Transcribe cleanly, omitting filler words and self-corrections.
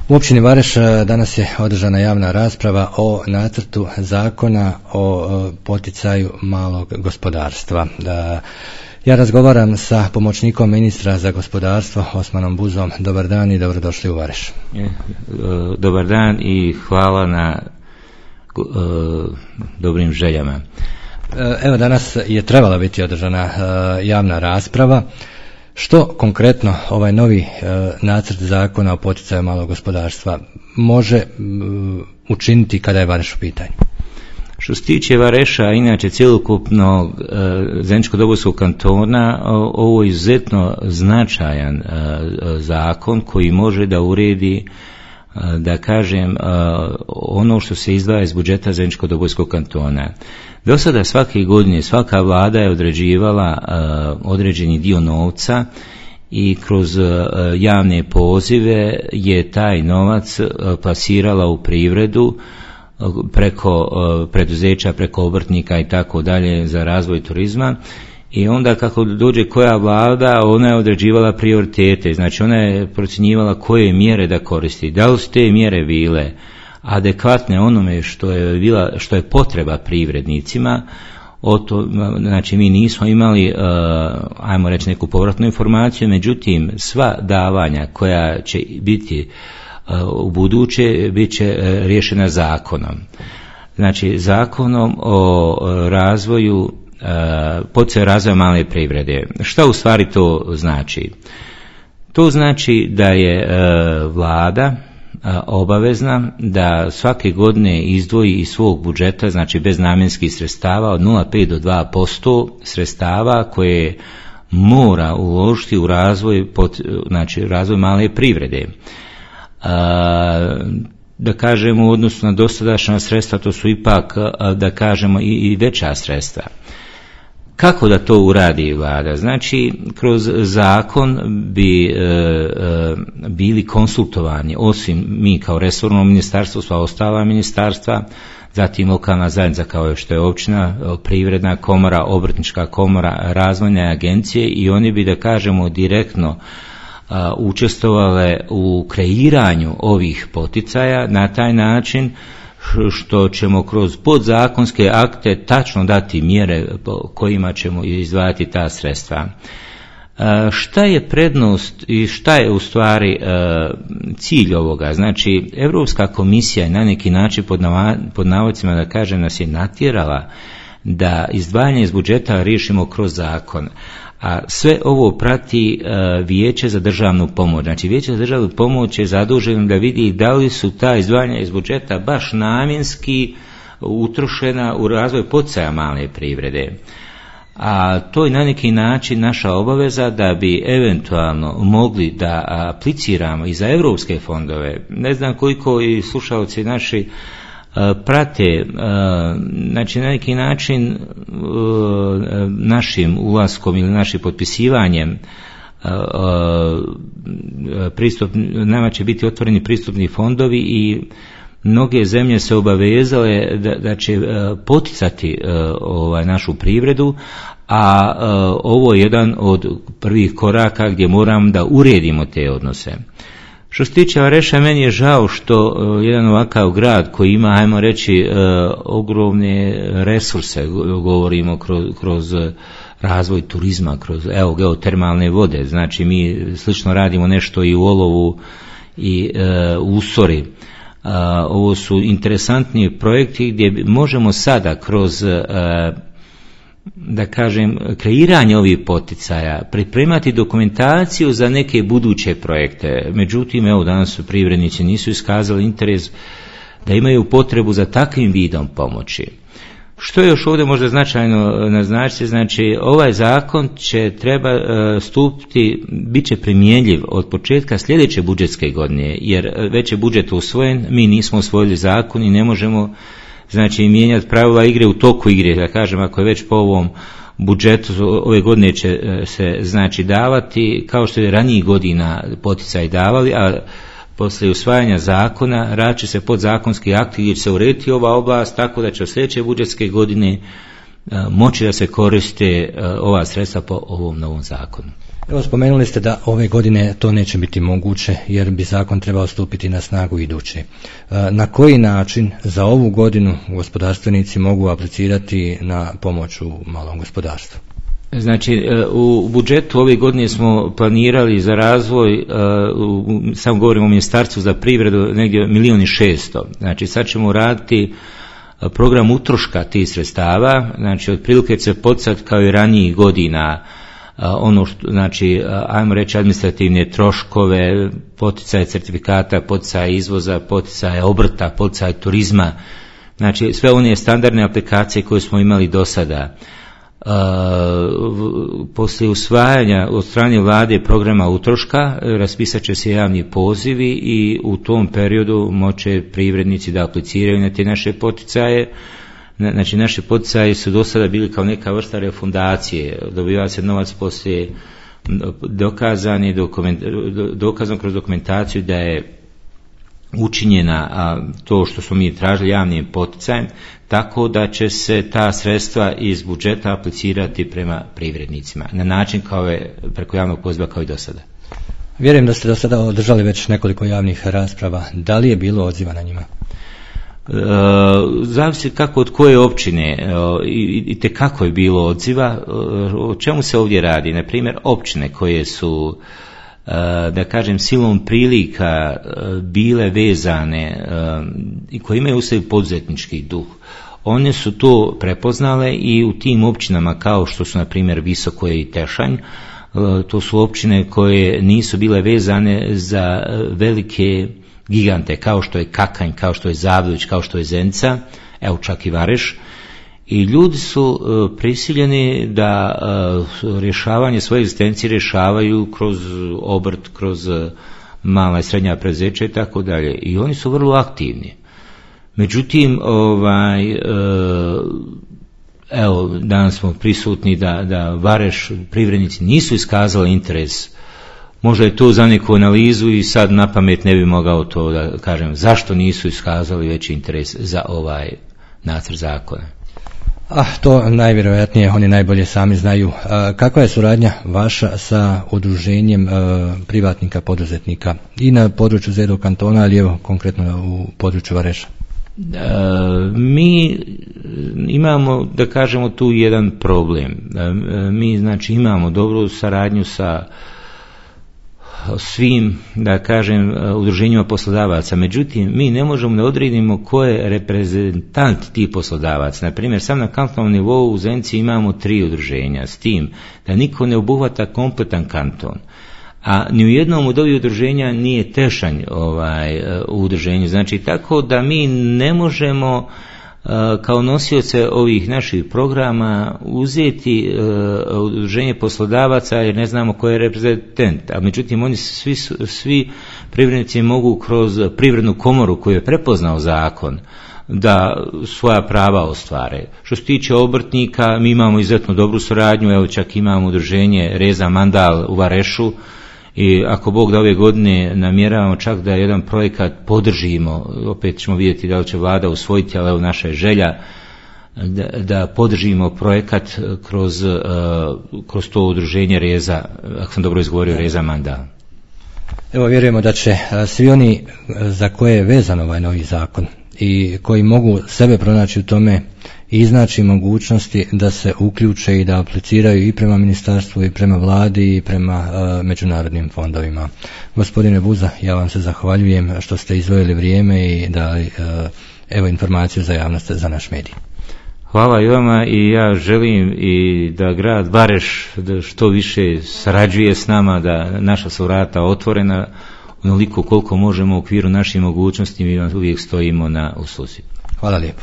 U općini Vareš danas je održana javna rasprava o nacrtu zakona o poticaju malog gospodarstva. Ja razgovaram sa pomoćnikom ministra za gospodarstvo Osmanom Buzom. Dobar dan i dobrodošli u Vareš. Dobar dan i hvala na dobrim željama. Evo, danas je trebala biti održana javna rasprava. Što konkretno ovaj novi nacrt zakona o poticaju malog gospodarstva može učiniti kada je Vareš u pitanju? Što se tiče Vareša, inače cjelokupnog Zeničko-Dobojskog kantona, ovo je izuzetno značajan zakon koji može da uredi, da kažem, ono što se izdvaja iz budžeta Zeničko-Dobojskog kantona. Do sada svake godine svaka vlada je određivala određeni dio novca i kroz javne pozive je taj novac plasirala u privredu preko preduzeća, preko obrtnika i tako dalje za razvoj turizma. I onda kako dođe koja vlada, ona je određivala prioritete, znači ona je procjenjivala koje mjere da koristi. Da li su te mjere bile adekvatne onome što je potreba privrednicima? Znači mi nismo imali, ajmo reći, neku povratnu informaciju, međutim sva davanja koja će biti u buduće bit će riješena zakonom. Znači zakonom o razvoju, poticaju razvoja male privrede. Šta u stvari to znači? To znači da je vlada obavezna da svake godine izdvoji iz svog budžeta, znači bez namjenskih sredstava, od 0,5 do 2% sredstava koje mora uložiti u razvoj, znači razvoj male privrede. Da kažemo u odnosu na dosadašnja sredstva, to su ipak, da kažemo, i veća sredstva. Kako da to uradi vlada? Znači, kroz zakon bi bili konsultovani, osim mi kao resorno ministarstvo, sva ostala ministarstva, zatim lokalna zajednica kao što je općina, privredna komora, obrtnička komora, razvojne agencije, i oni bi, da kažemo, direktno učestvovale u kreiranju ovih poticaja na taj način što ćemo kroz podzakonske akte tačno dati mjere po kojima ćemo izdvajati ta sredstva. Šta je prednost i šta je u stvari cilj ovoga? Znači, Europska komisija je na neki način pod navodcima, da kažem, nas je natjerala da izdvajanje iz budžeta riješimo kroz zakon. A sve ovo prati Vijeće za državnu pomoć. Znači, Vijeće za državnu pomoć je zaduženo da vidi da li su ta izdvajanja iz budžeta baš namjenski utrošena u razvoj poticaja male privrede. A to je na neki način naša obaveza da bi eventualno mogli da apliciramo i za europske fondove. Ne znam koliko i slušalci naši prate, znači na neki način našim ulaskom ili našim potpisivanjem nama će biti otvoreni pristupni fondovi i mnoge zemlje se obavezale da će poticati našu privredu, a ovo je jedan od prvih koraka gdje moramo da uredimo te odnose. Što se tiče Vareša, meni je žao što jedan ovakav grad koji ima, ajmo reći, ogromne resurse, govorimo kroz razvoj turizma, kroz geotermalne vode, znači mi slično radimo nešto i u Olovu i u Usori. Ovo su interesantni projekti gdje možemo sada kroz, da kažem, kreiranje ovih poticaja, pripremati dokumentaciju za neke buduće projekte. Međutim, evo, danas privrednici nisu iskazali interes da imaju potrebu za takvim vidom pomoći. Što je još ovdje možda značajno naznačiti, znači ovaj zakon će treba stupiti, bit će primjenjiv od početka sljedeće budžetske godine, jer već je budžet usvojen, mi nismo usvojili zakon i ne možemo, znači, mijenjati pravila igre u toku igre, da kažem, ako je već po ovom budžetu ove godine će se, znači, davati kao što je ranijih godina poticaj davali, a poslije usvajanja zakona radit će se podzakonski akti gdje će se urediti ova oblast, tako da će od sljedeće budžetske godine moći da se koriste ova sredstva po ovom novom zakonu. Evo, spomenuli ste da ove godine to neće biti moguće jer bi zakon trebao stupiti na snagu iduće. Na koji način za ovu godinu gospodarstvenici mogu aplicirati na pomoć u malom gospodarstvu? Znači, u budžetu ove godine smo planirali za razvoj, samo govorimo o Ministarstvu za privredu, negdje 1.600.000. Znači, sad ćemo raditi program utroška tih sredstava, znači, otprilike će se podstat kao i ranijih godina, ono što, znači, ajmo reći administrativne troškove, poticaje certifikata, poticaje izvoza, poticaje obrta, poticaje turizma, znači, sve one standardne aplikacije koje smo imali do sada. Poslije usvajanja od strane vlade programa utroška raspisat će se javni pozivi i u tom periodu moće privrednici da apliciraju na te naše poticaje. Znači, naše poticaje su do sada bili kao neka vrsta refundacije, dobiva se novac poslije dokazan kroz dokumentaciju da je učinjena to što smo mi tražili javnim poticajem, tako da će se ta sredstva iz budžeta aplicirati prema privrednicima na način kao je preko javnog poziva kao i do sada. Vjerujem da ste do sada održali već nekoliko javnih rasprava. Da li je bilo odziva na njima? Zavisi kako od koje općine i tekako je bilo odziva. O čemu se ovdje radi? Na primjer, općine koje su, da kažem, silom prilika bile vezane i koje imaju u sebi poduzetnički duh, one su to prepoznale i u tim općinama kao što su na primjer Visokoje i Tešanj, to su općine koje nisu bile vezane za velike gigante kao što je Kakanj, kao što je Zavdović, kao što je Zenica, evo čak i Vareš, i ljudi su prisiljeni da rješavanje svoje egzistencije rješavaju kroz obrt, kroz mala i srednja preduzeća i tako dalje, i oni su vrlo aktivni. Međutim, evo, danas smo prisutni da Vareš privrednici nisu iskazali interes. Možda je to za neku analizu i sad na pamet ne bi mogao to da kažem zašto nisu iskazali veći interes za ovaj nacrt zakona. To najvjerojatnije oni najbolje sami znaju. Kakva je suradnja vaša sa udruženjem privatnika poduzetnika i na području Zedo kantona, ali evo konkretno u području Vareša? Mi imamo, da kažemo, tu jedan problem. Mi, znači, imamo dobru saradnju sa svim, da kažem, udruženjima poslodavaca, međutim mi ne možemo da odredimo ko je reprezentant tih poslodavaca. Na primjer, sam na kantonalnom nivou u Zenici imamo 3 udruženja, s tim da niko ne obuhvata kompletan kanton, a ni u jednom od ovih udruženja nije Tešanj u udruženju. Znači, tako da mi ne možemo kao nosioce ovih naših programa uzeti udruženje poslodavaca jer ne znamo ko je reprezentant, a međutim oni svi privrednici mogu kroz privrednu komoru koju je prepoznao zakon da svoja prava ostvare. Što se tiče obrtnika, mi imamo izuzetno dobru suradnju, evo čak imamo udruženje Reza Mandal u Varešu, i ako Bog da ove godine namjeravamo čak da jedan projekat podržimo, opet ćemo vidjeti da li će vlada usvojiti, ali evo naša je želja da podržimo projekat kroz to udruženje Reza, ako sam dobro izgovorio, Reza Mandal. Evo, vjerujemo da će svi oni za koje je vezan ovaj novi zakon i koji mogu sebe pronaći u tome i iznaći mogućnosti da se uključe i da apliciraju i prema ministarstvu i prema vladi i prema međunarodnim fondovima. Gospodine Buza, ja vam se zahvaljujem što ste izdvojili vrijeme i dali evo informaciju za javnost za naš medij. Hvala i vama, i ja želim i da grad Vareš da što više sarađuje s nama, da naša su vrata otvorena onoliko koliko možemo u okviru naših mogućnosti, mi vam uvijek stojimo na usluzi. Hvala lijepo.